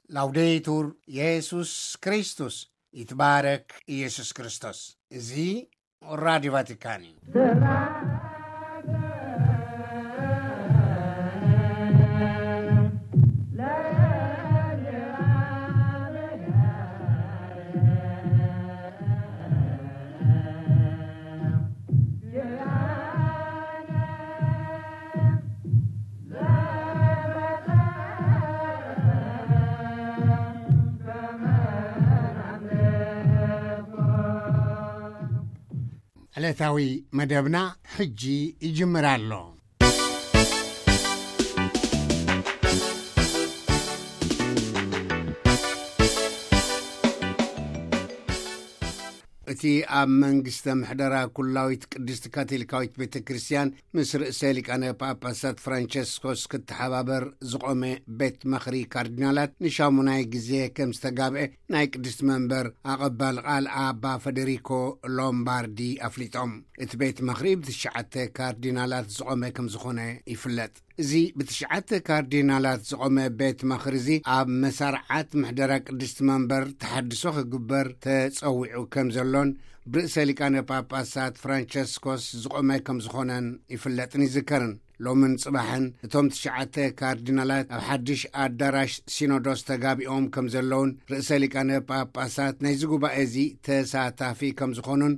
ላውዴቱር የሱስ ክርስቶስ፣ ይትባረክ ኢየሱስ ክርስቶስ። እዚ ራዲዮ ቫቲካን እዩ። ዕለታዊ መደብና ሕጂ ይጅምር ኣሎ። እቲ ኣብ መንግስተ ምሕደራ ኩላዊት ቅድስቲ ካቶሊካዊት ቤተ ክርስቲያን ምስ ርእሰ ሊቃነ ጳጳሳት ፍራንቸስኮስ ክተሓባበር ዝቖመ ቤት ምኽሪ ካርዲናላት ንሻሙናይ ግዜ ከም ዝተጋብአ ናይ ቅድስቲ መንበር ኣቐባል ቃል ኣባ ፈደሪኮ ሎምባርዲ ኣፍሊጦም። እቲ ቤት ምኽሪ ብትሽዓተ ካርዲናላት ዝቖመ ከም ዝኾነ ይፍለጥ። እዚ ብትሽዓተ ካርዲናላት ዝቖመ ቤት ምኽሪ እዚ ኣብ መሳርዓት ምሕደራ ቅድስቲ መንበር ተሓድሶ ክግበር ተጸዊዑ ከም ዘሎን ብርእሰ ሊቃነ ጳጳሳት ፍራንቸስኮስ ዝቖመ ከም ዝኾነን ይፍለጥን ይዝከርን። ሎምን ጽባሕን እቶም ትሽዓተ ካርዲናላት ኣብ ሓድሽ ኣዳራሽ ሲኖዶስ ተጋቢኦም ከም ዘለውን ርእሰ ሊቃነ ጳጳሳት ናይዚ ጉባኤ እዚ ተሳታፊ ከም ዝኾኑን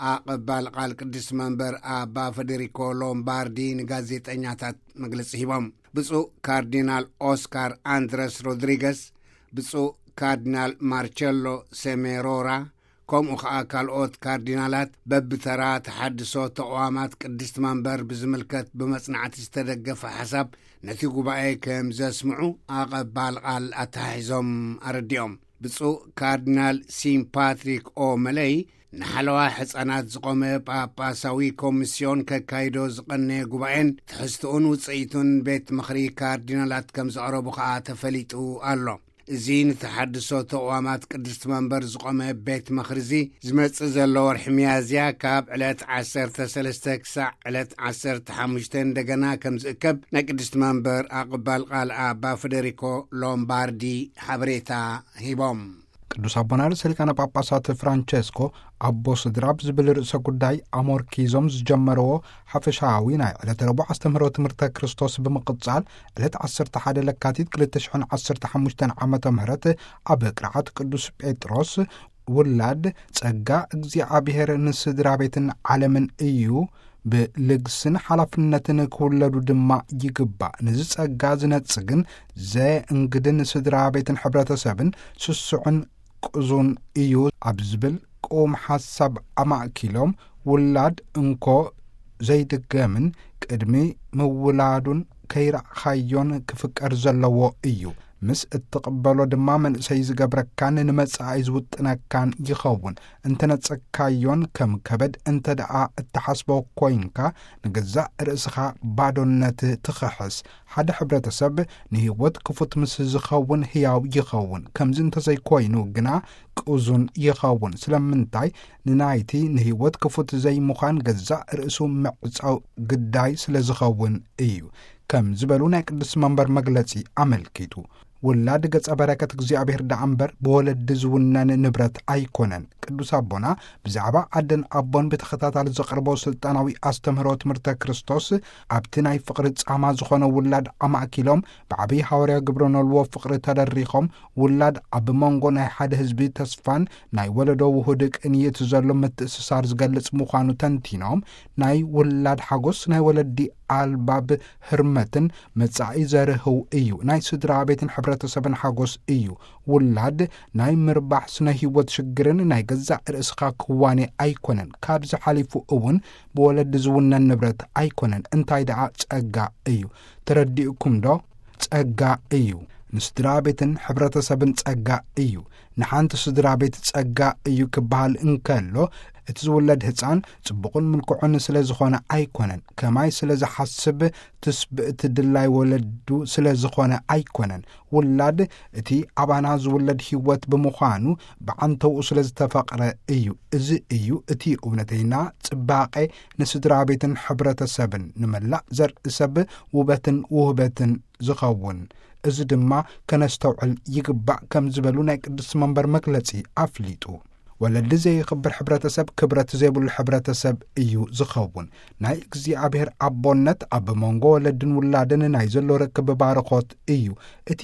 ኣቐባል ቃል ቅድስቲ መንበር ኣባ ፈደሪኮ ሎምባርዲ ንጋዜጠኛታት መግለጺ ሂቦም። ብፁዕ ካርዲናል ኦስካር ኣንድረስ ሮድሪገስ፣ ብፁዕ ካርዲናል ማርቸሎ ሴሜሮራ፣ ከምኡ ኸኣ ካልኦት ካርዲናላት በብተራ ተሓድሶ ተቕዋማት ቅድስቲ መንበር ብዝምልከት ብመጽናዕቲ ዝተደገፈ ሓሳብ ነቲ ጉባኤ ከም ዘስምዑ ኣቐባል ቃል ኣተሓሒዞም ኣረዲኦም። ብፁዕ ካርዲናል ሲም ፓትሪክ ኦ መለይ ንሓለዋ ሕፃናት ዝቖመ ጳጳሳዊ ኮሚስዮን ከካይዶ ዝቐነየ ጉባኤን ትሕዝትኡን ውጽኢቱን ቤት ምኽሪ ካርዲናላት ከም ዘቕረቡ ኸኣ ተፈሊጡ ኣሎ። እዚ ንተሓድሶ ተቕዋማት ቅድስቲ መንበር ዝቖመ ቤት ምኽሪ እዚ ዝመጽእ ዘሎ ወርሒ ሚያዝያ ካብ ዕለት ዓሰርተ ሰለስተ ክሳዕ ዕለት ዓሰርተ ሓሙሽተ እንደገና ከም ዝእከብ ናይ ቅድስቲ መንበር ኣቕባል ቃል ኣባ ፈደሪኮ ሎምባርዲ ሓበሬታ ሂቦም። ቅዱስ ኣቦና ርእሰ ሊቃነ ጳጳሳት ፍራንቸስኮ ኣቦ ስድራ ብዝብል ርእሰ ጉዳይ ኣሞርኪዞም ዝጀመርዎ ሓፈሻዊ ናይ ዕለተ ረቡዕ ኣስተምህሮ ትምህርተ ክርስቶስ ብምቕጻል ዕለት ዓሰርተ ሓደ ለካቲት ክልተ ሽሕን ዓሰርተ ሓሙሽተን ዓመተ ምህረት ኣብ ቅርዓት ቅዱስ ጴጥሮስ ውላድ ጸጋ እግዚኣብሔር ንስድራ ቤትን ዓለምን እዩ፣ ብልግስን ሓላፍነትን ክውለዱ ድማ ይግባእ። ነዚ ጸጋ ዝነጽግን ዘእንግድን ስድራ ቤትን ሕብረተሰብን ስሱዕን ቅዙን እዩ ኣብ ዝብል ቅዉም ሓሳብ ኣማእኪሎም፣ ውላድ እንኮ ዘይድገምን ቅድሚ ምውላዱን ከይረኣኻዮን ክፍቀር ዘለዎ እዩ። ምስ እትቕበሎ ድማ መንእሰይ ዝገብረካን ንመጻኢ ዝውጥነካን ይኸውን። እንተነጸግካዮን ከም ከበድ እንተ ደኣ እትሓስቦ ኮይንካ፣ ንገዛእ ርእስኻ ባዶነት ትኽሕስ። ሓደ ሕብረተሰብ ንህይወት ክፉት ምስ ዝኸውን ህያው ይኸውን። ከምዚ እንተዘይኮይኑ ግና ቅዙን ይኸውን። ስለምንታይ? ንናይቲ ንህይወት ክፉት ዘይምዃን ገዛእ ርእሱ ምዕጻው ግዳይ ስለ ዝኸውን እዩ። ከም ዝበሉ ናይ ቅዱስ መንበር መግለጺ ኣመልኪቱ፣ ውላድ ገጸ በረከት እግዚኣብሔር ደኣ እምበር ብወለዲ ዝውነን ንብረት ኣይኮነን። ቅዱስ ኣቦና ብዛዕባ ኣደን ኣቦን ብተኸታታሊ ዘቕርቦ ስልጣናዊ ኣስተምህሮ ትምህርተ ክርስቶስ፣ ኣብቲ ናይ ፍቕሪ ጻማ ዝኾነ ውላድ ኣማእኪሎም፣ ብዓብዪ ሃዋርያ ግብረ ኖልዎ ፍቕሪ ተደሪኾም፣ ውላድ ኣብ መንጎ ናይ ሓደ ህዝቢ ተስፋን ናይ ወለዶ ውሁድ ቅንይት ዘሎ ምትእስሳር ዝገልጽ ምዃኑ ተንቲኖም፣ ናይ ውላድ ሓጎስ ናይ ወለዲ ኣልባብ ህርመትን መጻኢ ዘርህው እዩ። ናይ ስድራ ቤትን ሕብረተሰብን ሓጎስ እዩ። ውላድ ናይ ምርባሕ ስነ ህይወት ሽግርን ናይ ገዛእ ርእስኻ ክዋኔ ኣይኮነን። ካብዚ ሓሊፉ እውን ብወለዲ ዝውነን ንብረት ኣይኮነን። እንታይ ደኣ ጸጋ እዩ። ተረዲእኩም ዶ? ጸጋ እዩ። ንስድራ ቤትን ሕብረተሰብን ጸጋ እዩ። ንሓንቲ ስድራ ቤት ጸጋ እዩ ክበሃል እንከሎ፣ እቲ ዝውለድ ህጻን ጽቡቕን ምልኩዕን ስለ ዝኾነ ኣይኮነን፣ ከማይ ስለ ዝሓስብ ትስብእቲ ድላይ ወለዱ ስለ ዝኾነ ኣይኮነን። ውላድ እቲ ኣባና ዝውለድ ህይወት ብምዃኑ ብዓንተውኡ ስለ ዝተፈቕረ እዩ። እዚ እዩ እቲ እውነተይና ጽባቐ ንስድራ ቤትን ሕብረተሰብን፣ ንመላእ ዘርኢ ሰብ ውበትን ውህበትን ዝኸውን። እዚ ድማ ከነስተውዕል ይግባእ ከም ዝበሉ ናይ ቅዱስ መንበር መግለጺ ኣፍሊጡ። ወለዲ ዘይኽብር ሕብረተሰብ ክብረት ዘይብሉ ሕብረተሰብ እዩ ዝኸውን። ናይ እግዚኣብሔር ኣቦነት ኣብ መንጎ ወለድን ውላድን ናይ ዘሎ ርክብ ባርኾት እዩ። እቲ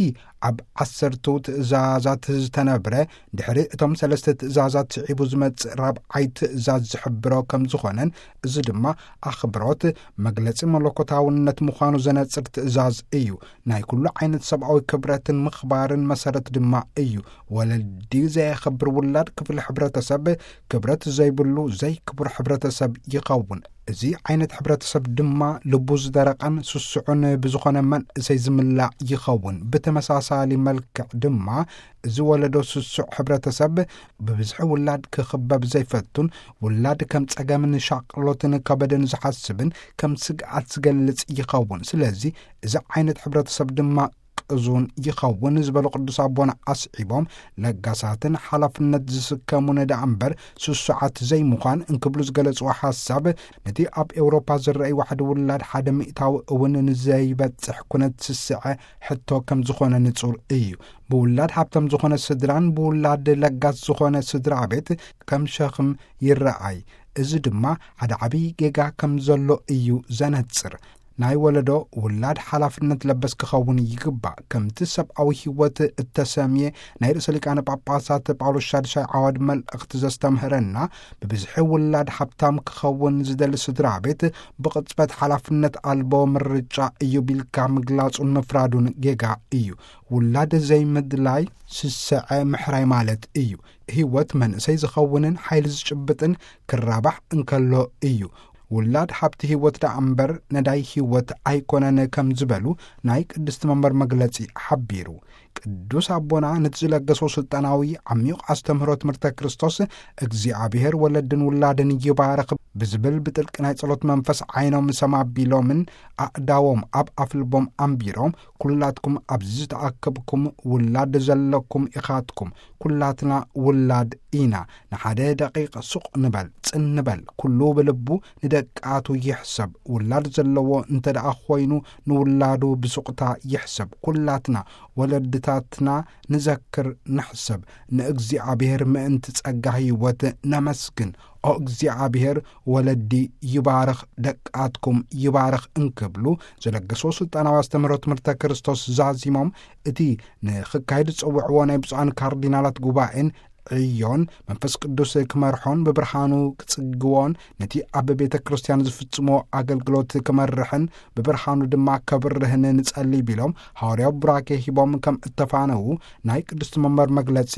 ኣብ ዓሰርቱ ትእዛዛት ዝተነብረ፣ ድሕሪ እቶም ሰለስተ ትእዛዛት ስዒቡ ዝመጽእ ራብዓይ ትእዛዝ ዝሕብሮ ከም ዝኾነን፣ እዚ ድማ ኣኽብሮት መግለጺ መለኮታውነት ምዃኑ ዘነጽር ትእዛዝ እዩ። ናይ ኩሉ ዓይነት ሰብኣዊ ክብረትን ምኽባርን መሰረት ድማ እዩ። ወለዲ ዘየኽብር ውላድ ክፍሊ ሕብረተሰብ ክብረት ዘይብሉ ዘይክቡር ሕብረተሰብ ይኸውን። እዚ ዓይነት ሕብረተሰብ ድማ ልቡ ዝደረቐን ስሱዑን ብዝኾነ መንእሰይ ዝምላእ ይኸውን። ብተመሳሳሊ መልክዕ ድማ እዚ ወለዶ ስሱዕ ሕብረተሰብ ብብዝሒ ውላድ ክኽበብ ዘይፈቱን ውላድ ከም ጸገምን ሻቕሎትን ከበደን ዝሓስብን ከም ስግኣት ዝገልጽ ይኸውን። ስለዚ እዚ ዓይነት ሕብረተሰብ ድማ ቅዙን ይኸውን ዝበሉ ቅዱስ ኣቦና ኣስዒቦም፣ ለጋሳትን ሓላፍነት ዝስከሙን ደኣ እምበር ስሱዓት ዘይምዃን እንክብሉ ዝገለጽዎ ሓሳብ፣ ነቲ ኣብ ኤውሮፓ ዝረኣይ ዋሕዲ ውላድ ሓደ ሚእታዊ እውን ንዘይበጽሕ ኩነት ስስዐ ሕቶ ከም ዝኾነ ንጹር እዩ። ብውላድ ሃብታም ዝኾነ ስድራን ብውላድ ለጋስ ዝኾነ ስድራ ቤት ከም ሸኽም ይረኣይ። እዚ ድማ ሓደ ዓብዪ ጌጋ ከም ዘሎ እዩ ዘነጽር። ናይ ወለዶ ውላድ ሓላፍነት ለበስ ክኸውን ይግባእ። ከምቲ ሰብኣዊ ህይወት እተሰምየ ናይ ርእሰ ሊቃነ ጳጳሳት ጳውሎስ ሻድሻይ ዓዋድ መልእኽቲ ዘስተምህረና፣ ብብዝሒ ውላድ ሃብታም ክኸውን ዝደሊ ስድራ ቤት ብቕጽበት ሓላፍነት ኣልቦ ምርጫ እዩ ቢልካ ምግላጹን ምፍራዱን ጌጋ እዩ። ውላድ ዘይምድላይ ስስዐ ምሕራይ ማለት እዩ። ህይወት መንእሰይ ዝኸውንን ሓይሊ ዝጭብጥን ክራባሕ እንከሎ እዩ። ውላድ ሃብቲ ህይወት ደኣ እምበር ነዳይ ህይወት ኣይኮነን ከም ዝበሉ ናይ ቅድስቲ መንበር መግለጺ ሓቢሩ። ቅዱስ ኣቦና ነቲ ዝለገሶ ስልጣናዊ ዓሚቕ ኣስተምህሮ ትምህርተ ክርስቶስ፣ እግዚኣብሔር ወለድን ውላድን ይባርኽ ብዝብል ብጥልቂ ናይ ጸሎት መንፈስ ዓይኖም ሰም ኣቢሎምን ኣእዳዎም ኣብ ኣፍልቦም ኣንቢሮም፣ ኩላትኩም ኣብዚ ዝተኣከብኩም ውላድ ዘለኩም ኢኻትኩም። ኩላትና ውላድ ኢና። ንሓደ ደቂቕ ሱቕ ንበል፣ ጽን ንበል። ኩሉ ብልቡ ንደቃቱ ይሕሰብ። ውላድ ዘለዎ እንተ ደኣ ኾይኑ ንውላዱ ብሱቕታ ይሕሰብ። ኩላትና ወለድታትና ንዘክር፣ ንሕሰብ። ንእግዚኣብሔር ምእንቲ ጸጋ ህይወት ነመስግን። ኦ እግዚኣብሔር፣ ወለዲ ይባርኽ፣ ደቃትኩም ይባርኽ እንክብሉ ዝለገሶ ስልጣናዊ ኣስተምህሮ ትምህርተ ክርስቶስ ዛዚሞም፣ እቲ ንኽካየድ ዝጸውዕዎ ናይ ብፁዓን ካርዲናላት ጉባኤን ዕዮን መንፈስ ቅዱስ ክመርሖን ብብርሃኑ ክጽግዎን፣ ነቲ ኣብ ቤተ ክርስቲያን ዝፍጽሞ ኣገልግሎት ክመርሕን ብብርሃኑ ድማ ከብርህን ንጸሊ ቢሎም፣ ሃዋርያዊ ቡራኬ ሂቦም ከም እተፋነዉ ናይ ቅድስቲ መንበር መግለጺ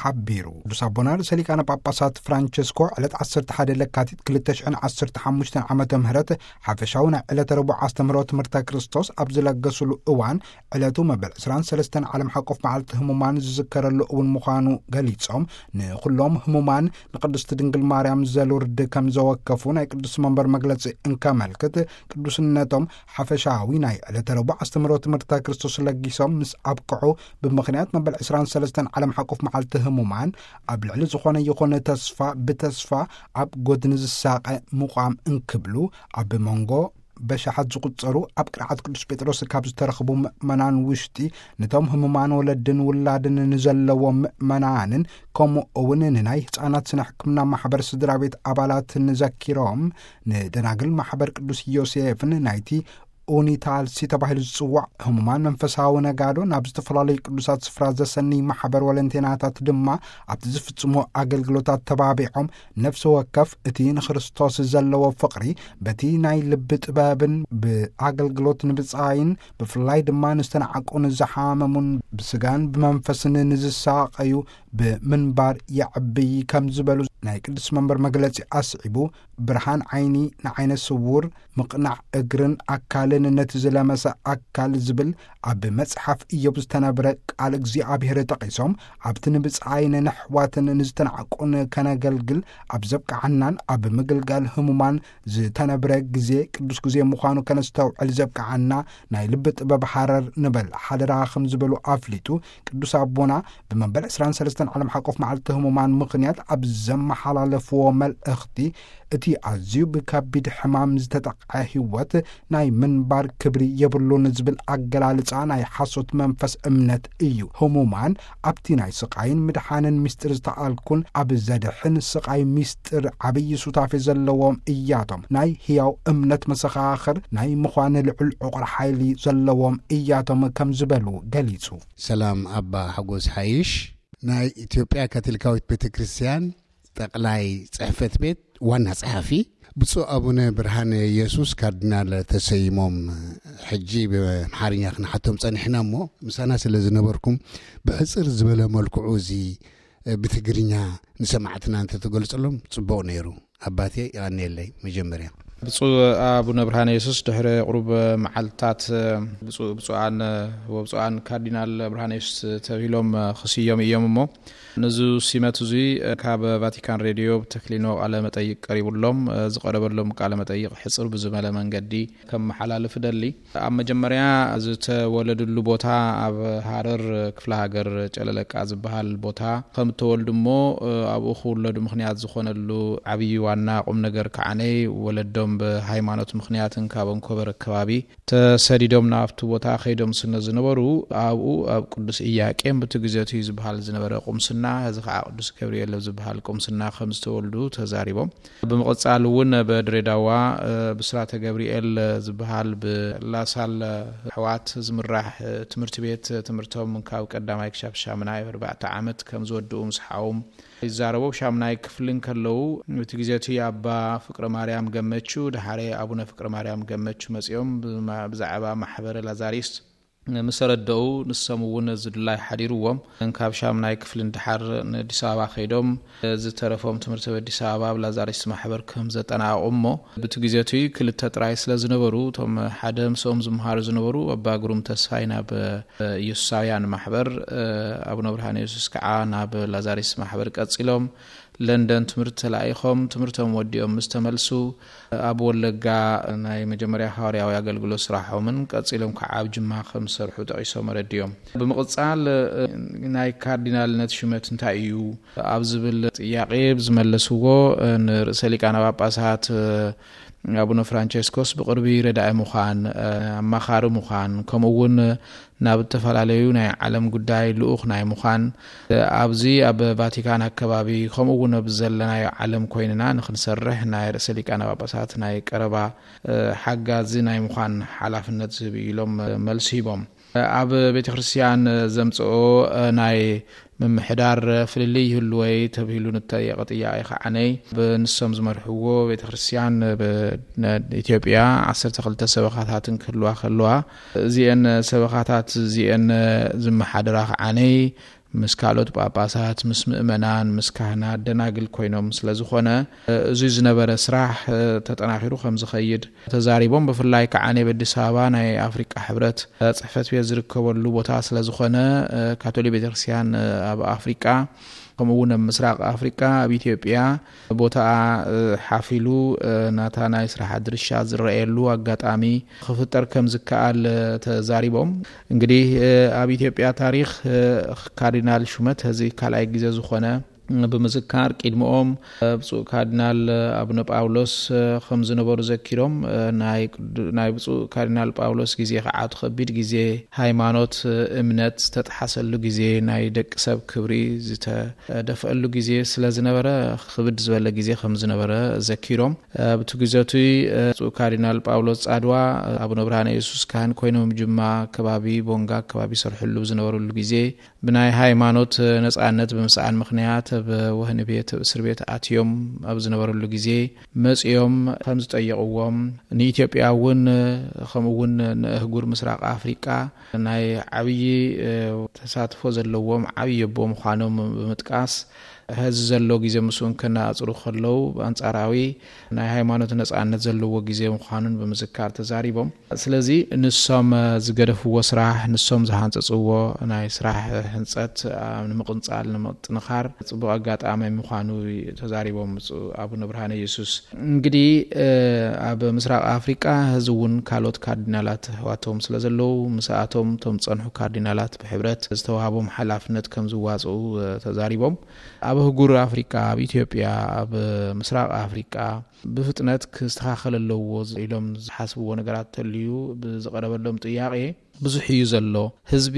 ሓቢሩ። ቅዱስ ኣቦና ርእሰ ሊቃነ ጳጳሳት ፍራንቸስኮ ዕለት ዓሰርተ ሓደ ለካቲት ክልተ ሽሕን ዓሰርተ ሓሙሽተን ዓመተ ምህረት ሓፈሻዊ ናይ ዕለተ ረቡዕ ኣስተምህሮ ትምህርተ ክርስቶስ ኣብ ዝለገሱሉ እዋን፣ ዕለቱ መበል ዕስራን ሰለስተን ዓለም ሓቆፍ መዓልቲ ህሙማን ዝዝከረሉ እውን ምዃኑ ገሊጾም፣ ንኹሎም ህሙማን ንቅድስቲ ድንግል ማርያም ዘሉርድ ከም ዘወከፉ ናይ ቅዱስ መንበር መግለጺ እንከመልክት፣ ቅዱስነቶም ሓፈሻዊ ናይ ዕለተ ረቡዕ ኣስተምህሮ ትምህርተ ክርስቶስ ለጊሶም ምስ ኣብቅዑ፣ ብምኽንያት መበል ዕስራን ሰለስተን ዓለም ሓቆፍ መዓልቲ ህሙማን፣ ኣብ ልዕሊ ዝኾነ ይኹን ተስፋ ብተስፋ ኣብ ጎድኒ ዝሳቐ ምቋም እንክብሉ፣ ኣብ መንጎ በሻሓት ዝቑጸሩ ኣብ ቅርዓት ቅዱስ ጴጥሮስ ካብ ዝተረኽቡ ምእመናን ውሽጢ፣ ነቶም ህሙማን ወለድን ውላድን ንዘለዎም ምእመናንን፣ ከምኡ እውን ንናይ ህጻናት ስነ ሕክምና ማሕበር ስድራ ቤት ኣባላትን ዘኪሮም፣ ንደናግል ማሕበር ቅዱስ ዮሴፍን ናይቲ ኡኒታልሲ ተባሂሉ ዝጽዋዕ ህሙማን መንፈሳዊ ነጋዶ ናብ ዝተፈላለዩ ቅዱሳት ስፍራ ዘሰንይ ማሕበር ወለንቴናታት ድማ ኣብቲ ዝፍጽሞ ኣገልግሎታት ተባቢዖም፣ ነፍሲ ወከፍ እቲ ንክርስቶስ ዘለዎ ፍቕሪ በቲ ናይ ልቢ ጥበብን ብኣገልግሎት ንብጻይን፣ ብፍላይ ድማ ንዝተናዕቁን ዝሓመሙን ብስጋን ብመንፈስን ንዝሳቐዩ ብምንባር የዕብይ ከም ዝበሉ ናይ ቅዱስ መንበር መግለጺ ኣስዒቡ፣ ብርሃን ዓይኒ ንዓይነ ስውር፣ ምቕናዕ እግርን ኣካልን ነቲ ዝለመሰ ኣካል ዝብል ኣብ መጽሓፍ ኢዮብ ዝተነብረ ቃል እግዚኣብሔር ጠቒሶም፣ ኣብቲ ንብጻይን ንሕዋትን ንዝተናዕቁን ከነገልግል ኣብ ዘብቅዓናን ኣብ ምግልጋል ህሙማን ዝተነብረ ግዜ ቅዱስ ግዜ ምዃኑ ከነስተውዕል ዘብቅዓና ናይ ልቢ ጥበብ ሃረር ንበል ሓደራ ከም ዝበሉ ኣፍሊጡ፣ ቅዱስ ኣቦና ብመበል ዕስራን ሰለስተን ዓለም ሓቆፍ መዓልቲ ህሙማን ምኽንያት ኣብ ዘመሓላለፍዎ መልእኽቲ፣ እቲ ኣዝዩ ብከቢድ ሕማም ዝተጠቕዐ ህይወት ናይ ምንባር ክብሪ የብሉን ዝብል ኣገላልጻ ናይ ሓሶት መንፈስ እምነት እዩ። ህሙማን ኣብቲ ናይ ስቓይን ምድሓንን ምስጢር ዝተኣልኩን ኣብ ዘድሕን ስቓይ ምስጢር ዓብዪ ሱታፌ ዘለዎም እያቶም። ናይ ህያው እምነት መሰኻኽር ናይ ምዃን ልዑል ዕቑር ሓይሊ ዘለዎም እያቶም ከም ዝበሉ ገሊጹ። ሰላም ኣባ ሓጎስ ሓይሽ፣ ናይ ኢትዮጵያ ካቶሊካዊት ቤተ ክርስቲያን ጠቕላይ ጽሕፈት ቤት ዋና ጸሓፊ። ብፁዕ ኣቡነ ብርሃነ ኢየሱስ ካርዲናል ተሰይሞም፣ ሕጂ ብኣምሓርኛ ክንሓቶም ጸኒሕና እሞ፣ ምሳና ስለ ዝነበርኩም ብሕጽር ዝበለ መልክዑ እዚ ብትግርኛ ንሰማዕትና እንተትገልጽሎም ጽቡቕ ነይሩ። ኣባቴ ይቐንየለይ። መጀመርያ ብፁዕ ኣቡነ ብርሃነ የሱስ ድሕሪ ቁሩብ መዓልትታት ብፁዕ ብፁዓን ወብፁዓን ካርዲናል ብርሃነ የሱስ ተብሂሎም ክስዮም እዮም እሞ፣ ነዚ ሲመት እዙይ ካብ ቫቲካን ሬድዮ ብተክሊኖ ቃለ መጠይቅ ቀሪቡሎም፣ ዝቀረበሎም ቃለ መጠይቅ ሕፅር ብዝመለ መንገዲ ከመሓላልፍ እደሊ። ኣብ መጀመርያ ዝተወለድሉ ቦታ ኣብ ሃረር ክፍለ ሃገር ጨለለቃ ዝበሃል ቦታ ከም እተወልዱ እሞ፣ ኣብኡ ክውለዱ ምኽንያት ዝኾነሉ ዓብዪ ዋና ቁም ነገር ከዓነይ ወለዶም ብሃይማኖት ምኽንያትን ካብ ኣንኮበር ከባቢ ተሰዲዶም ናብቲ ቦታ ከይዶም ስለ ዝነበሩ፣ ኣብኡ ኣብ ቅዱስ ኢያቄም ብቲ ግዜ እቲ ዝበሃል ዝነበረ ቁምስና፣ ሕዚ ከዓ ቅዱስ ገብርኤል ኣብ ዝበሃል ቁምስና ከም ዝተወልዱ ተዛሪቦም። ብምቕጻል እውን ኣብ ድሬዳዋ፣ እ፣ ብስራተ ገብርኤል ዝበሃል ብላሳል ኣሕዋት ዝምራሕ፣ እ፣ ትምህርቲ ቤት ትምህርቶም ካብ ቀዳማይ ክሻብ ሻምናይ ኣርባዕተ ዓመት ከም ዝወድኡ ምስ ሓዎም ይዛረቡ። ኣብ ሻምናይ ክፍሊ እንከለዉ፣ እቲ ግዜ እቲ ኣባ ፍቅረ ማርያም ገመቹ፣ ደሓረ ኣቡነ ፍቅረ ማርያም ገመቹ መጺኦም ብማ-፣ ብዛዕባ ማሕበረ ላዛሪስ ምስ ተረደኡ፣ ንሶም እውን እዚ ድላይ ሓዲርዎም፣ ካብ ሻምናይ ክፍሊ ንደሓር ንኣዲስ ኣበባ ከይዶም፣ ዝተረፎም ትምህርቲ ኣብ ኣዲስ ኣበባ ኣብ ላዛሪስ ማሕበር ከም ዘጠናቐቑ እሞ፣ ብቲ ግዜ እቲ ክልተ ጥራይ ስለ ዝነበሩ፣ እቶም ሓደ ምስኦም ዝመሃሩ ዝነበሩ ኣባ ግሩም ተስፋይ ናብ ኢየሱሳውያን ማሕበር፣ ኣቡነ ብርሃነ የሱስ ከዓ ናብ ላዛሪስ ማሕበር ቀጺሎም፣ ለንደን ትምህርቲ ተላኢኾም፣ ትምህርቶም ወዲኦም ምስ ተመልሱ፣ ኣብ ወለጋ ናይ መጀመርያ ሃዋርያዊ ኣገልግሎት ስራሖምን ቀጺሎም ከዓ ኣብ ጅማ ከም ዝሰርሑ ጠቒሶም ኣረዲኦም። ብምቕጻል፣ ናይ ካርዲናልነት ሹመት እንታይ እዩ? ኣብ ዝብል ጥያቄ ዝመለስዎ፣ ንርእሰ ሊቃነ ጳጳሳት ኣቡነ ፍራንቸስኮስ ብቕርቢ ረዳኢ ምዃን፣ ኣማኻሪ ምዃን፣ ከምኡ እውን ናብ ዝተፈላለዩ ናይ ዓለም ጉዳይ ልኡኽ ናይ ምዃን፣ ኣብዚ ኣብ ቫቲካን ኣከባቢ፣ ከምኡ እውን ኣብ ዘለናዮ ዓለም ኮይንና ንኽንሰርሕ ናይ ርእሰ ሊቃነ ጳጳሳት ናይ ቀረባ፣ ሓጋዚ ናይ ምዃን ሓላፍነት ዝህብ እዩ ኢሎም መልሲ ሂቦም። ኣብ ቤተ ክርስቲያን ዘምጽኦ ናይ ምምሕዳር ፍልልይ ይህልወይ ተብሂሉ ንተየቐ ጥያቄ ከዓነይ፣ ብንሶም ዝመርሕዎ ቤተ ክርስቲያን ብ-፣ ነ-፣ ኢትዮጵያ ዓሰርተ ክልተ ሰበኻታትን ክህልዋ ከለዋ፣ እዚአን ሰበኻታት እዚአን ዝመሓደራ ከዓነይ ምስ ካልኦት ጳጳሳት፣ ምስ ምእመናን፣ ምስ ካህናት፣ ደናግል ኮይኖም ስለ ዝኾነ፣ እዚ ዝነበረ ስራሕ ተጠናኺሩ ከም ዝኸይድ ተዛሪቦም። ብፍላይ ከዓ ኣብ ኣዲስ ኣበባ ናይ ኣፍሪቃ ሕብረት ጽሕፈት ቤት ዝርከበሉ ቦታ ስለ ዝኾነ፣ ካቶሊክ ቤተክርስትያን ኣብ ኣፍሪቃ፣ ከምኡ እውን ኣብ ምስራቅ ኣፍሪቃ፣ ኣብ ኢትዮጵያ ቦታኣ ሓፊሉ ናታ ናይ ስራሕ ድርሻ ዝረኣየሉ ኣጋጣሚ ክፍጠር ከም ዝከኣል ተዛሪቦም። እንግዲህ ኣብ ኢትዮጵያ ታሪኽ ካርዲናል ሹመት እዚ ካልኣይ ግዜ ዝኾነ ብምዝካር፣ ቅድሚኦም ብፁዕ ካርዲናል ኣቡነ ጳውሎስ ከም ዝነበሩ ዘኪሮም፣ ናይ ቅዱ-፣ ናይ ብፁዕ ካርዲናል ጳውሎስ ግዜ ከዓ እቲ ከቢድ ግዜ፣ ሃይማኖት፣ እምነት ዝተጥሓሰሉ ግዜ፣ ናይ ደቂ ሰብ ክብሪ ዝተደፍአሉ ግዜ ስለ ዝነበረ፣ ክብድ ዝበለ ግዜ ከም ዝነበረ ዘኪሮም፣ ኣብቲ ግዜ እቲ ብፁዕ ካርዲናል ጳውሎስ ጻድዋ ኣቡነ ብርሃነ የሱስ ካህን ኮይኖም ጅማ ከባቢ፣ ቦንጋ ከባቢ ይሰርሕሉ ዝነበሩሉ ግዜ፣ ብናይ ሃይማኖት ነጻነት ብምስኣን ምኽንያት ኣብ ወህኒ ቤት፣ ኣብ እስር ቤት ኣትዮም ኣብ ዝነበረሉ ግዜ መጺኦም ከም ዝጠየቕዎም፣ ንኢትዮጵያ እውን ከምኡ እውን ንእህጉር ምስራቕ ኣፍሪቃ ናይ ዓብዪ ተሳትፎ ዘለዎም ዓብዪ ኣቦ ምዃኖም ብምጥቃስ፣ ሕዚ ዘሎ ግዜ ምስኡን ከነጻጽሩ ከለዉ ብኣንጻራዊ ናይ ሃይማኖት ነጻነት ዘለዎ ግዜ ምዃኑን ብምዝካር ተዛሪቦም። ስለዚ ንሶም ዝገደፍዎ ስራሕ፣ ንሶም ዝሃንጸጽዎ ናይ ስራሕ ህንጸት ንምቕንጻል፣ ንምጥንኻር ጽቡቕ ኣጋጣሚ ምዃኑ ተዛሪቦም ብፁዕ ኣቡነ ብርሃነ ኢየሱስ። እንግዲህ ኣብ ምስራቕ ኣፍሪቃ ሕዚ እውን ካልኦት ካርዲናላት ኣሕዋቶም ስለ ዘለዉ፣ ምስኣቶም እቶም ዝጸንሑ ካርዲናላት ብሕብረት ዝተዋህቦም ሓላፍነት ከም ዝዋጽኡ ተዛሪቦም። ኣብ ኣህጉር ኣፍሪቃ፣ ኣብ ኢትዮጵያ፣ ኣብ ምስራቕ ኣፍሪቃ ብፍጥነት ክስተኻኸል ኣለዎ ኢሎም ዝሓስብዎ ነገራት ተልዩ ብዝቐረበሎም ጥያቄ፣ ብዙሕ እዩ ዘሎ። ህዝቢ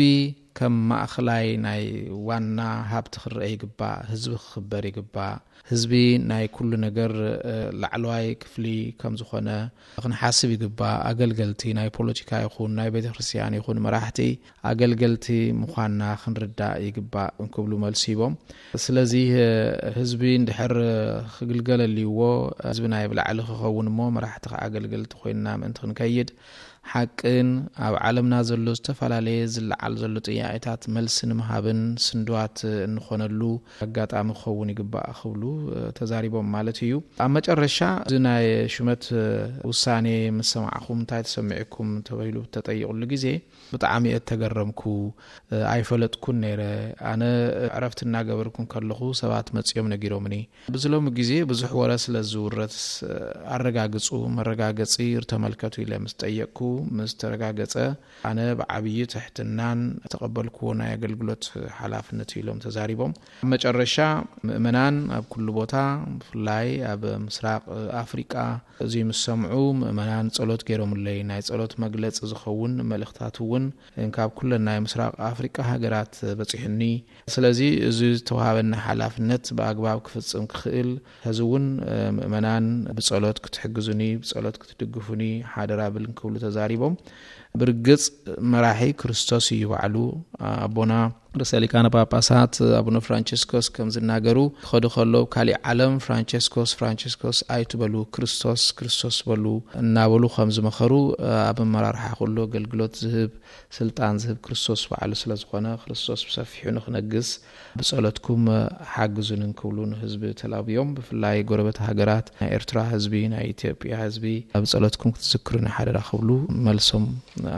ከም ማእኸላይ ናይ ዋና ሃብቲ ክረአ ይግባእ፣ ህዝቢ ክኽበር ይግባእ፣ ህዝቢ ናይ ኩሉ ነገር ላዕለዋይ ክፍሊ ከም ዝኾነ ክንሓስብ ይግባእ። ኣገልገልቲ ናይ ፖለቲካ ይኹን ናይ ቤተክርስትያን ይኹን መራሕቲ ኣገልገልቲ ምዃንና ክንርዳእ ይግባእ እንክብሉ መልሲ ሂቦም። ስለዚ ህዝቢ እንድሕር ክግልገል ኣልይዎ፣ ህዝቢ ናይ ብላዕሊ ክኸውን እሞ መራሕቲ ከዓ ኣገልገልቲ ኮይንና ምእንቲ ክንከይድ፣ ሓቅን ኣብ ዓለምና ዘሎ ዝተፈላለየ ዝለዓል ዘሎ ጥያቄታት መልሲ ንምሃብን ስንድዋት እንኾነሉ ኣጋጣሚ ክኸውን ይግባእ ክብሉ ተዛሪቦም ማለት እዩ። ኣብ መጨረሻ፣ እዚ ናይ ሹመት ውሳኔ ምስ ሰማዕኹም እንታይ ተሰሚዕኩም ተባሂሉ ብተጠየቕሉ ግዜ፣ ብጣዕሚ እየ እተገረምኩ። ኣይፈለጥኩን ነይረ። ኣነ ዕረፍቲ እናገበርኩ ከለኹ ሰባት መጺኦም ነጊሮምኒ። ብዚ ሎሚ ግዜ ብዙሕ ወረ ስለ ዝውረስ፣ ኣረጋግጹ፣ መረጋገጺ ተመልከቱ ኢለ ምስ ጠየቅኩ፣ ምስ ተረጋገጸ፣ ኣነ ብዓብዪ ትሕትናን ዝተቐበልኩዎ ናይ ኣገልግሎት ሓላፍነት ኢሎም ተዛሪቦም። ኣብ መጨረሻ፣ ምእመናን ኣብ ኩሉ ቦታ፣ ብፍላይ ኣብ ምስራቕ ኣፍሪቃ፣ እዚ ምስ ሰምዑ፣ ምእመናን ጸሎት ገይሮምለይ። ናይ ጸሎት መግለጺ ዝኸውን መልእኽታት እውን እንካብ ኩለን ናይ ምስራቕ ኣፍሪቃ ሃገራት በጺሑኒ። ስለዚ፣ እዚ ዝተዋሃበኒ ሓላፍነት ብኣግባብ ክፍጽም ክኽእል፣ ሕዚ እውን ምእመናን ብጸሎት ክትሕግዙኒ፣ ብጸሎት ክትድግፉኒ ሓደራ ብል እንክብሉ ተዛሪቦም። ብርግጽ መራሒ ክርስቶስ እዩ ባዕሉ። ኣቦና ርእሰ ሊቃነ ጳጳሳት ኣቡነ ፍራንቸስኮስ ከም ዝናገሩ፣ ክኸዱ ከለዉ ካሊእ ዓለም ፍራንቸስኮስ፣ ፍራንቸስኮስ ኣይትበሉ፣ ክርስቶስ፣ ክርስቶስ በሉ እናበሉ ከም ዝመኸሩ፣ ኣብ ኣመራርሓ ኩሉ ኣገልግሎት ዝህብ፣ ስልጣን ዝህብ ክርስቶስ ባዕሉ ስለ ዝኾነ፣ ክርስቶስ ብሰፊሑ ንኽነግስ ብጸሎትኩም ሓግዙን እንክብሉ ንህዝቢ ተላብዮም። ብፍላይ ጎረበት ሃገራት፣ ናይ ኤርትራ ህዝቢ፣ ናይ ኢትዮጵያ ህዝቢ ኣብ ጸሎትኩም ክትዝክሩኒ ሓደራ ክብሉ መልሶም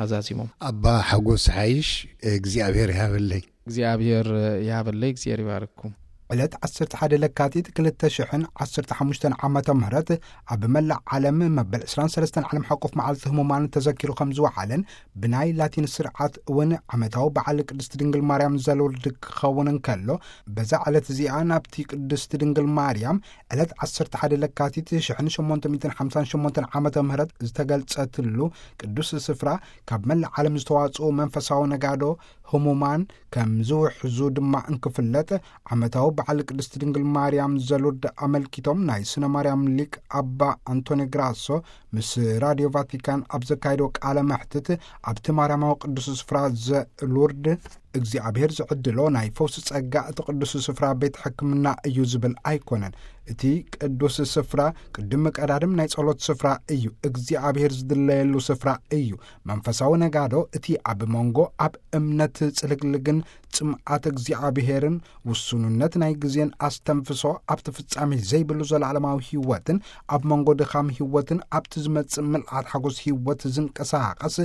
ኣዛዚሞም። ኣባ ሓጎስ ሓይሽ እግዚኣብሔር ይሃበለይ። እግዚኣብሔር ይሃበለይ፣ እግዚኣብሔር ይባርኩም። ዕለት ዓሰርተ ሓደ ለካቲት ክልተ ሽሕን ዓሰርተ ሓሙሽተን ዓመተ ምህረት ኣብ መላእ ዓለም መበል ዕስራን ሰለስተን ዓለም ሓቆፍ መዓልቲ ህሙማን ተዘኪሩ ከም ዝወዓለን ብናይ ላቲን ስርዓት እውን ዓመታዊ በዓል ቅድስቲ ድንግል ማርያም ዘልውርድ ክኸውን እንከሎ፣ በዛ ዕለት እዚኣ ናብቲ ቅድስቲ ድንግል ማርያም ዕለት ዓሰርተ ሓደ ለካቲት ሽሕን ሸሞንተ ሚእትን ሓምሳን ሸሞንተን ዓመተ ምህረት ዝተገልጸትሉ ቅዱስ ስፍራ ካብ መላእ ዓለም ዝተዋጽኡ መንፈሳዊ ነጋዶ ህሙማን ከም ዝውሕዙ ድማ እንክፍለጥ፣ ዓመታዊ በዓል ቅድስቲ ድንግል ማርያም ዘሉርድ ኣመልኪቶም ናይ ስነ ማርያም ሊቅ ኣባ ኣንቶኒ ግራሶ ምስ ራድዮ ቫቲካን ኣብ ዘካየዶ ቃለ መሕትት፣ ኣብቲ ማርያማዊ ቅዱስ ስፍራ ዘሉርድ እግዚኣብሔር ዝዕድሎ ናይ ፈውሲ ጸጋ እቲ ቅዱስ ስፍራ ቤት ሕክምና እዩ ዝብል ኣይኮነን። እቲ ቅዱስ ስፍራ ቅድም ቀዳድም ናይ ጸሎት ስፍራ እዩ። እግዚኣብሔር ዝድለየሉ ስፍራ እዩ። መንፈሳዊ ነጋዶ እቲ ኣብ መንጎ ኣብ እምነት ጽልግልግን ጽምኣት እግዚኣብሔርን ውሱንነት ናይ ግዜን ኣስተንፍሶ ኣብቲ ፍጻሜ ዘይብሉ ዘለዓለማዊ ህይወትን ኣብ መንጎ ድኻም ህይወትን ኣብቲ ዝመጽእ ምልኣት ሓጎስ ህይወት ዝንቀሳቐስ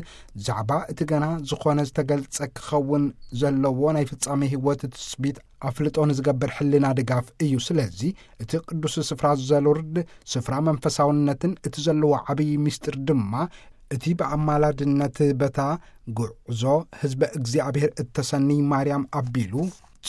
ዛዕባ እቲ ገና ዝኾነ ዝተገልጸ ክኸውን ዘለዎ ናይ ፍጻሜ ህይወት ትስቢት ኣፍልጦ ንዝገብር ሕልና ድጋፍ እዩ። ስለዚ እቲ ቅዱስ ስፍራ ዘሉርድ ስፍራ መንፈሳውነትን እቲ ዘለዎ ዓብዪ ምስጢር ድማ እቲ ብኣማላድነት በታ ጉዕዞ ህዝበ እግዚኣብሔር እተሰንይ ማርያም ኣቢሉ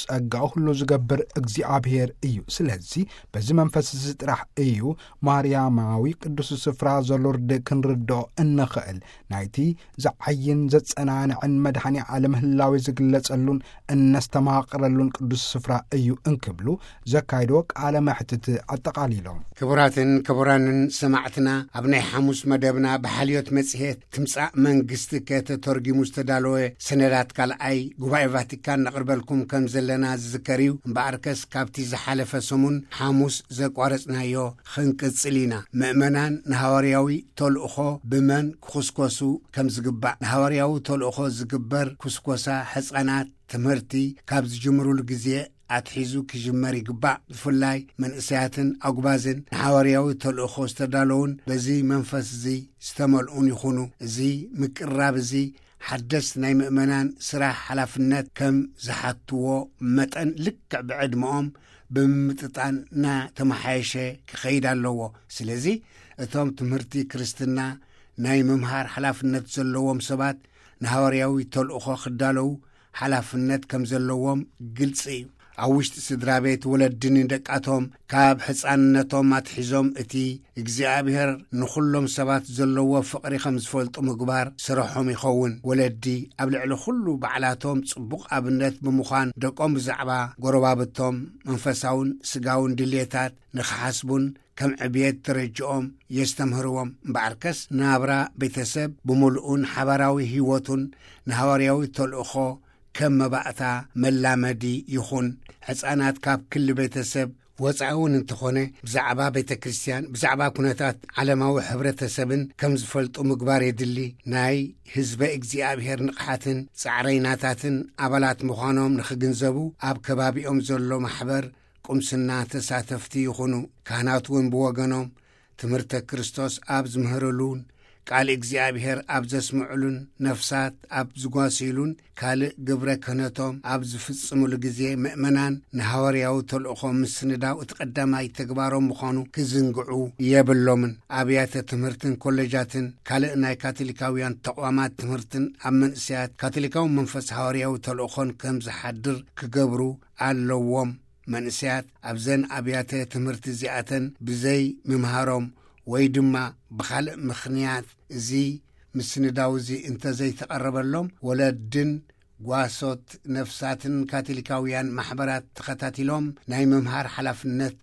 ጸጋ ኩሉ ዝገብር እግዚኣብሔር እዩ። ስለዚ በዚ መንፈስ እዚ ጥራሕ እዩ ማርያማዊ ቅዱስ ስፍራ ዘሉርድ ክንርድኦ እንኽእል። ናይቲ ዝዓይን ዘጸናንዕን መድኃኔ ዓለም ህላዌ ዝግለጸሉን እነስተማቕረሉን ቅዱስ ስፍራ እዩ እንክብሉ ዘካይዶ ቃለ መሕትት ኣጠቓሊሎም። ክቡራትን ክቡራንን ሰማዕትና፣ ኣብ ናይ ሓሙስ መደብና ብሓልዮት መጽሔት ትምጻእ መንግስቲ ከተተርጊሙ ዝተዳለወ ሰነዳት ካልኣይ ጉባኤ ቫቲካን ነቕርበልኩም ከም ዘለና ዝዝከር እዩ። እምበኣርከስ ካብቲ ዝሓለፈ ሰሙን ሓሙስ ዘቋረጽናዮ ክንቅጽል ኢና። ምእመናን ንሃዋርያዊ ተልእኾ ብመን ክኹስኮሱ ከም ዝግባእ፣ ንሃዋርያዊ ተልእኾ ዝግበር ኩስኮሳ ሕጻናት ትምህርቲ ካብ ዝጅምሩሉ ግዜ ኣትሒዙ ክጅመር ይግባእ። ብፍላይ መንእሰያትን ኣጉባዝን ንሓዋርያዊ ተልእኾ ዝተዳለዉን በዚ መንፈስ እዚ ዝተመልኡን ይኹኑ። እዚ ምቅርራብ እዚ ሓደስቲ ናይ ምእመናን ስራሕ ሓላፍነት ከም ዝሓትዎ መጠን ልክዕ ብዕድመኦም ብምምጥጣን እናተመሓየሸ ክኸይድ ኣለዎ። ስለዚ እቶም ትምህርቲ ክርስትና ናይ ምምሃር ሓላፍነት ዘለዎም ሰባት ንሃዋርያዊ ተልእኾ ክዳለዉ ሓላፍነት ከም ዘለዎም ግልጺ እዩ። ኣብ ውሽጢ ስድራ ቤት ወለዲ ንደቃቶም ካብ ሕፃንነቶም ኣትሒዞም እቲ እግዚኣብሔር ንኹሎም ሰባት ዘለዎ ፍቕሪ ከም ዝፈልጡ ምግባር ስርሖም ይኸውን። ወለዲ ኣብ ልዕሊ ኩሉ ባዕላቶም ጽቡቕ ኣብነት ብምዃን ደቆም ብዛዕባ ጎረባብቶም መንፈሳውን ስጋውን ድልየታት ንኽሓስቡን ከም ዕብየት ደረጅኦም የስተምህርዎም። እምበኣርከስ ናብራ ቤተሰብ ብምሉኡን ሓባራዊ ህይወቱን ንሃዋርያዊ ተልእኾ ከም መባእታ መላመዲ ይኹን። ሕፃናት ካብ ክሊ ቤተሰብ ወፃኢ እውን እንተኾነ ብዛዕባ ቤተ ክርስቲያን፣ ብዛዕባ ኩነታት ዓለማዊ ሕብረተሰብን ከም ዝፈልጡ ምግባር የድሊ። ናይ ህዝበ እግዚኣብሔር ንቕሓትን ጻዕረይናታትን ኣባላት ምዃኖም ንኽግንዘቡ ኣብ ከባቢኦም ዘሎ ማሕበር ቁምስና ተሳተፍቲ ይኹኑ። ካህናት እውን ብወገኖም ትምህርተ ክርስቶስ ኣብ ዝምህርሉን ቃል እግዚኣብሔር ኣብ ዘስምዑሉን ነፍሳት ኣብ ዝጓስይሉን ካልእ ግብረ ክህነቶም ኣብ ዝፍጽሙሉ ግዜ ምእመናን ንሃዋርያዊ ተልእኾ ምስንዳው እቲ ቀዳማይ ተግባሮም ምዃኑ ክዝንግዑ የብሎምን። ኣብያተ ትምህርትን ኮሌጃትን ካልእ ናይ ካቶሊካውያን ተቋማት ትምህርትን ኣብ መንእሰያት ካቶሊካዊ መንፈስ ሃዋርያዊ ተልእኾን ከም ዝሓድር ክገብሩ ኣለዎም። መንእሰያት ኣብዘን ኣብያተ ትምህርቲ እዚኣተን ብዘይ ምምሃሮም ወይ ድማ ብኻልእ ምኽንያት እዚ ምስንዳው እዚ እንተዘይተቐረበሎም ወለድን ጓሶት ነፍሳትን ካቶሊካውያን ማሕበራት ተኸታቲሎም ናይ ምምሃር ሓላፍነት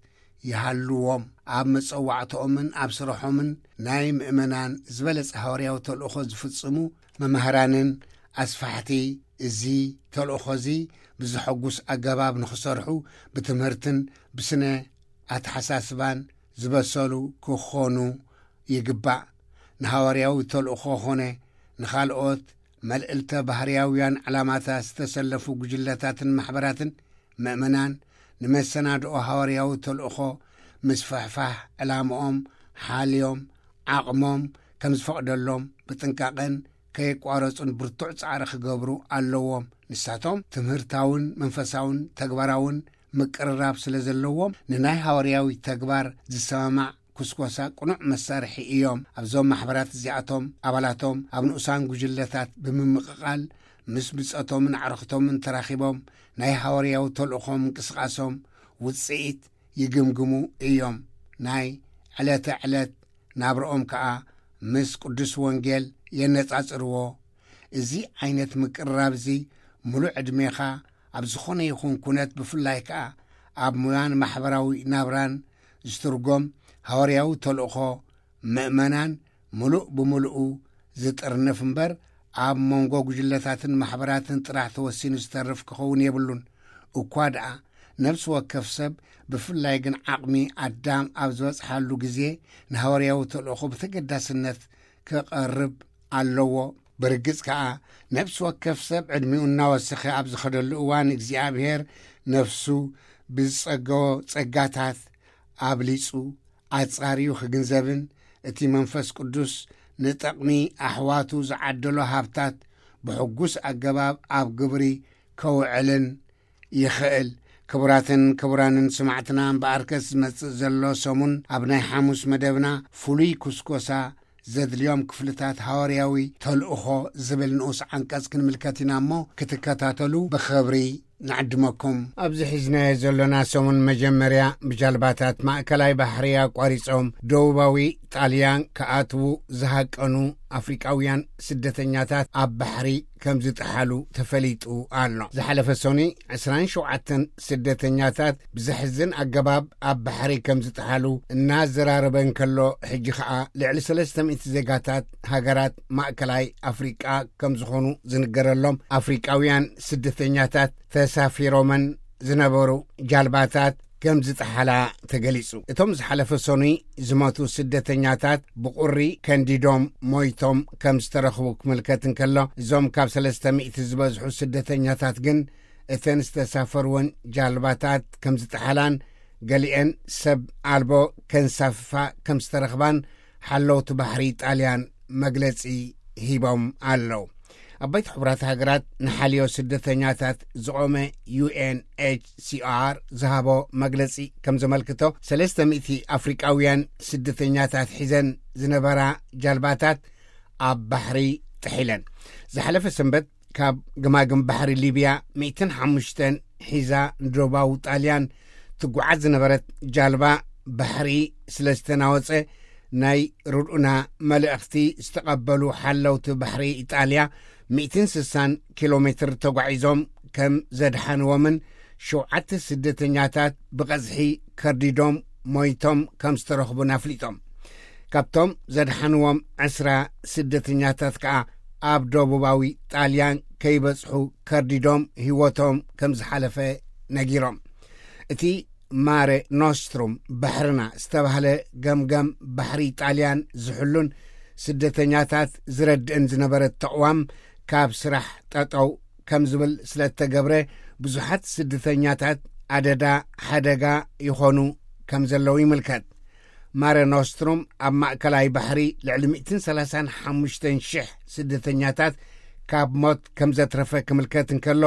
ይሃልዎም። ኣብ መጸዋዕትኦምን ኣብ ስርሖምን ናይ ምእመናን ዝበለጸ ሃዋርያዊ ተልእኾ ዝፍጽሙ መምህራንን ኣስፋሕቲ እዚ ተልእኾ እዚ ብዘሐጉስ ኣገባብ ንኽሰርሑ ብትምህርትን ብስነ ኣተሓሳስባን ዝበሰሉ ክኾኑ ይግባእ። ንሃዋርያዊ ተልእኾ ኾነ ንኻልኦት መልዕልተ ባህርያውያን ዕላማታት ዝተሰለፉ ጉጅለታትን ማሕበራትን ምእመናን ንመሰናድኦ ሃዋርያዊ ተልእኾ ምስፍሕፋሕ ዕላምኦም ሓልዮም ዓቕሞም ከም ዝፈቕደሎም ብጥንቃቐን ከየቋረጹን ብርቱዕ ጻዕሪ ክገብሩ ኣለዎም። ንሳቶም ትምህርታውን መንፈሳውን ተግባራውን ምቅርራብ ስለ ዘለዎም ንናይ ሃዋርያዊ ተግባር ዝሰማማዕ ኩስኮሳ ቅኑዕ መሳርሒ እዮም። ኣብዞም ማሕበራት እዚኣቶም ኣባላቶም ኣብ ንኡሳን ጉጅለታት ብምምቕቓል ምስ ብጸቶምን ኣዕርኽቶምን ተራኺቦም ናይ ሃዋርያዊ ተልእኾም ምንቅስቓሶም ውጽኢት ይግምግሙ እዮም። ናይ ዕለተ ዕለት ናብርኦም ከኣ ምስ ቅዱስ ወንጌል የነጻጽርዎ። እዚ ዓይነት ምቅርራብ እዚ ምሉእ ዕድሜኻ ኣብ ዝኾነ ይኹን ኩነት ብፍላይ ከኣ ኣብ ሙያን ማሕበራዊ ናብራን ዝትርጎም ሃዋርያዊ ተልእኾ ምእመናን ምሉእ ብምሉኡ ዝጥርንፍ እምበር ኣብ መንጎ ጉጅለታትን ማሕበራትን ጥራሕ ተወሲኑ ዝተርፍ ክኸውን የብሉን። እኳ ደኣ ነፍሲ ወከፍ ሰብ ብፍላይ ግን ዓቕሚ ኣዳም ኣብ ዝበጽሓሉ ግዜ ንሃዋርያዊ ተልእኾ ብተገዳስነት ክቐርብ ኣለዎ። ብርግጽ ከኣ ነፍሲ ወከፍ ሰብ ዕድሚኡ እናወሰኸ ኣብ ዝኸደሉ እዋን እግዚኣብሔር ነፍሱ ብዝጸገቦ ጸጋታት ኣብሊጹ ኣጻርዩ ክግንዘብን እቲ መንፈስ ቅዱስ ንጠቕሚ ኣሕዋቱ ዝዓደሎ ሃብታት ብሕጉስ ኣገባብ ኣብ ግብሪ ከውዕልን ይኽእል። ክቡራትን ክቡራንን ስማዕትና እምበኣርከስ ዝመጽእ ዘሎ ሰሙን ኣብ ናይ ሓሙስ መደብና ፍሉይ ኩስኮሳ ዘድልዮም ክፍልታት ሃዋርያዊ ተልእኾ ዝብል ንኡስ ዓንቀጽ ክንምልከት ኢና እሞ ክትከታተሉ ብኽብሪ ንዕድመኩም። ኣብዚ ሒዝናዮ ዘሎና ሰሙን መጀመርያ ብጃልባታት ማእከላይ ባሕሪ ኣቋሪጾም ደቡባዊ ጣልያን ክኣትዉ ዝሃቀኑ ኣፍሪቃውያን ስደተኛታት ኣብ ባሕሪ ከም ዝጠሓሉ ተፈሊጡ ኣሎ። ዝሓለፈ ሰኑይ ዕስራን ሸውዓተን ስደተኛታት ብዘሕዝን ኣገባብ ኣብ ባሕሪ ከም ዝጠሓሉ እናዘራረበ እንከሎ፣ ሕጂ ኸኣ ልዕሊ ሰለስተ ሚእቲ ዜጋታት ሃገራት ማእከላይ ኣፍሪቃ ከም ዝኾኑ ዝንገረሎም ኣፍሪቃውያን ስደተኛታት ተሳፊሮመን ዝነበሩ ጃልባታት ከም ዝጠሓላ ተገሊጹ። እቶም ዝሓለፈ ሰኑይ ዝሞቱ ስደተኛታት ብቑሪ ከንዲዶም ሞይቶም ከም ዝተረኽቡ ክምልከት እንከሎ፣ እዞም ካብ ሰለስተ ሚእቲ ዝበዝሑ ስደተኛታት ግን እተን ዝተሳፈርወን ጃልባታት ከም ዝጠሓላን ገሊአን ሰብ ኣልቦ ከንሳፍፋ ከም ዝተረኽባን ሓለውቲ ባሕሪ ጣልያን መግለጺ ሂቦም ኣለዉ። ኣብ ባይቶ ሕቡራት ሃገራት ንሓልዮ ስደተኛታት ዝቖመ ዩ ኤን ኤች ሲ ኣር ዝሃቦ መግለጺ ከም ዘመልክቶ፣ ሰለስተ ሚእቲ ኣፍሪቃውያን ስደተኛታት ሒዘን ዝነበራ ጃልባታት ኣብ ባሕሪ ጥሒለን። ዝሓለፈ ሰንበት ካብ ገማግም ባሕሪ ሊብያ ሚእትን ሓሙሽተን ሒዛ ንደቡባዊ ጣልያን ትጓዓዝ ዝነበረት ጃልባ ባሕሪ ስለ ዝተናወጸ፣ ናይ ርድኡና መልእኽቲ ዝተቐበሉ ሓለውቲ ባሕሪ ኢጣልያ ሚእትን ስሳን ኪሎ ሜትር ተጓዒዞም ከም ዘድሓንዎምን ሸውዓተ ስደተኛታት ብቐዝሒ ከርዲዶም ሞይቶም ከም ዝተረኽቡን ኣፍሊጦም። ካብቶም ዘድሓንዎም ዕስራ ስደተኛታት ከኣ ኣብ ደቡባዊ ጣልያን ከይበጽሑ ከርዲዶም ህይወቶም ከም ዝሓለፈ ነጊሮም። እቲ ማረ ኖስትሩም ባሕርና ዝተባህለ ገምገም ባሕሪ ጣልያን ዝሕሉን ስደተኛታት ዝረድእን ዝነበረ ተቕዋም ካብ ስራሕ ጠጠው ከም ዝብል ስለ እተገብረ፣ ብዙሓት ስደተኛታት ኣደዳ ሓደጋ ይኾኑ ከም ዘለዉ ይምልከት። ማረ ኖስትሩም ኣብ ማእከላይ ባሕሪ ልዕሊ ሚእትን ሰላሳን ሓሙሽተን ሽሕ ስደተኛታት ካብ ሞት ከም ዘትረፈ ክምልከት እንከሎ፣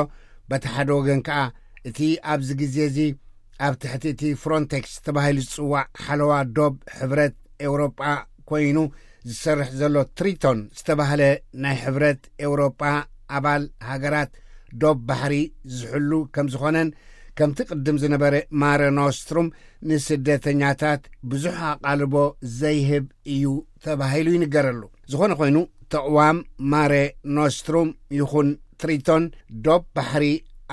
በቲ ሓደ ወገን ከኣ እቲ ኣብዚ ግዜ እዚ ኣብ ትሕቲ እቲ ፍሮንቴክስ ተባሂሉ ዝጽዋዕ ሓለዋ ዶብ ሕብረት ኤውሮጳ ኮይኑ ዝሰርሕ ዘሎ ትሪቶን ዝተባህለ ናይ ሕብረት ኤውሮጳ ኣባል ሃገራት ዶብ ባሕሪ ዝሕሉ ከም ዝኾነን፣ ከምቲ ቅድም ዝነበረ ማረ ኖስትሩም ንስደተኛታት ብዙሕ ኣቓልቦ ዘይህብ እዩ ተባሂሉ ይንገረሉ። ዝኾነ ኮይኑ፣ ተቕዋም ማረ ኖስትሩም ይኹን ትሪቶን ዶብ ባሕሪ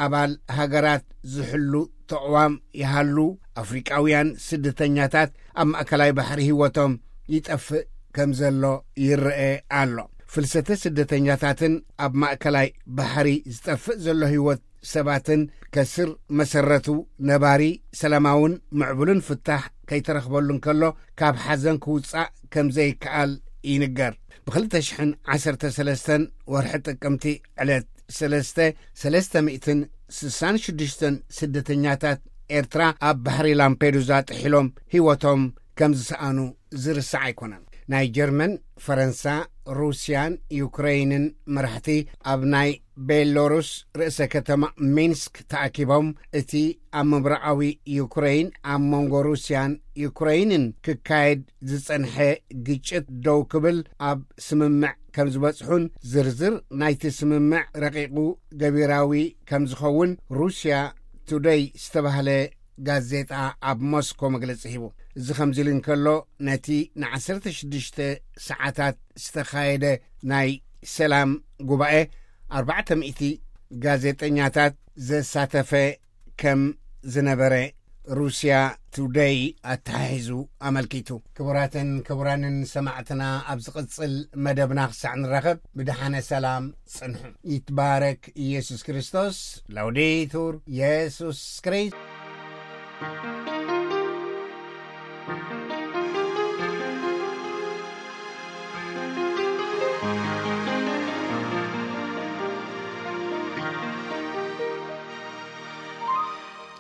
ኣባል ሃገራት ዝሕሉ ተቕዋም ይሃሉ፣ ኣፍሪቃውያን ስደተኛታት ኣብ ማእከላይ ባሕሪ ህይወቶም ይጠፍእ ከም ዘሎ ይረአ ኣሎ። ፍልሰተ ስደተኛታትን ኣብ ማእከላይ ባሕሪ ዝጠፍእ ዘሎ ህይወት ሰባትን ከስር መሰረቱ ነባሪ ሰላማውን ምዕቡልን ፍታሕ ከይተረኽበሉ እንከሎ፣ ካብ ሓዘን ክውጻእ ከም ዘይከኣል ይንገር። ብኽልተ ሽሕን ዓሰርተ ሰለስተን ወርሒ ጥቅምቲ ዕለት ሰለስተ፣ ሰለስተ ሚእትን ስሳን ሽዱሽተን ስደተኛታት ኤርትራ ኣብ ባሕሪ ላምፔዱዛ ጥሒሎም ህይወቶም ከም ዝሰኣኑ ዝርሳዕ ኣይኮነን። ናይ ጀርመን፣ ፈረንሳ፣ ሩስያን ዩክረይንን መራሕቲ ኣብ ናይ ቤሎሩስ ርእሰ ከተማ ሚንስክ ተኣኪቦም፣ እቲ ኣብ ምብራቓዊ ዩክረይን ኣብ መንጎ ሩስያን ዩክረይንን ክካየድ ዝጸንሐ ግጭት ደው ክብል ኣብ ስምምዕ ከም ዝበጽሑን ዝርዝር ናይቲ ስምምዕ ረቂቑ ገቢራዊ ከም ዝኸውን ሩስያ ቱደይ ዝተባህለ ጋዜጣ ኣብ ሞስኮ መግለጺ ሂቡ። እዚ ከምዚ ኢሉ እንከሎ፣ ነቲ ንዓሰርተ ሽዱሽተ ሰዓታት ዝተኻየደ ናይ ሰላም ጉባኤ ኣርባዕተ ሚእቲ ጋዜጠኛታት ዘሳተፈ ከም ዝነበረ ሩስያ ቱደይ ኣተሓሒዙ ኣመልኪቱ። ክቡራትን ክቡራንን ሰማዕትና፣ ኣብ ዝቕጽል መደብና ክሳዕ ንራኸብ ብደሓነ ሰላም ጽንሑ። ይትባረክ ኢየሱስ ክርስቶስ። ላውዴቱር ኢየሱስ ክርስቶስ።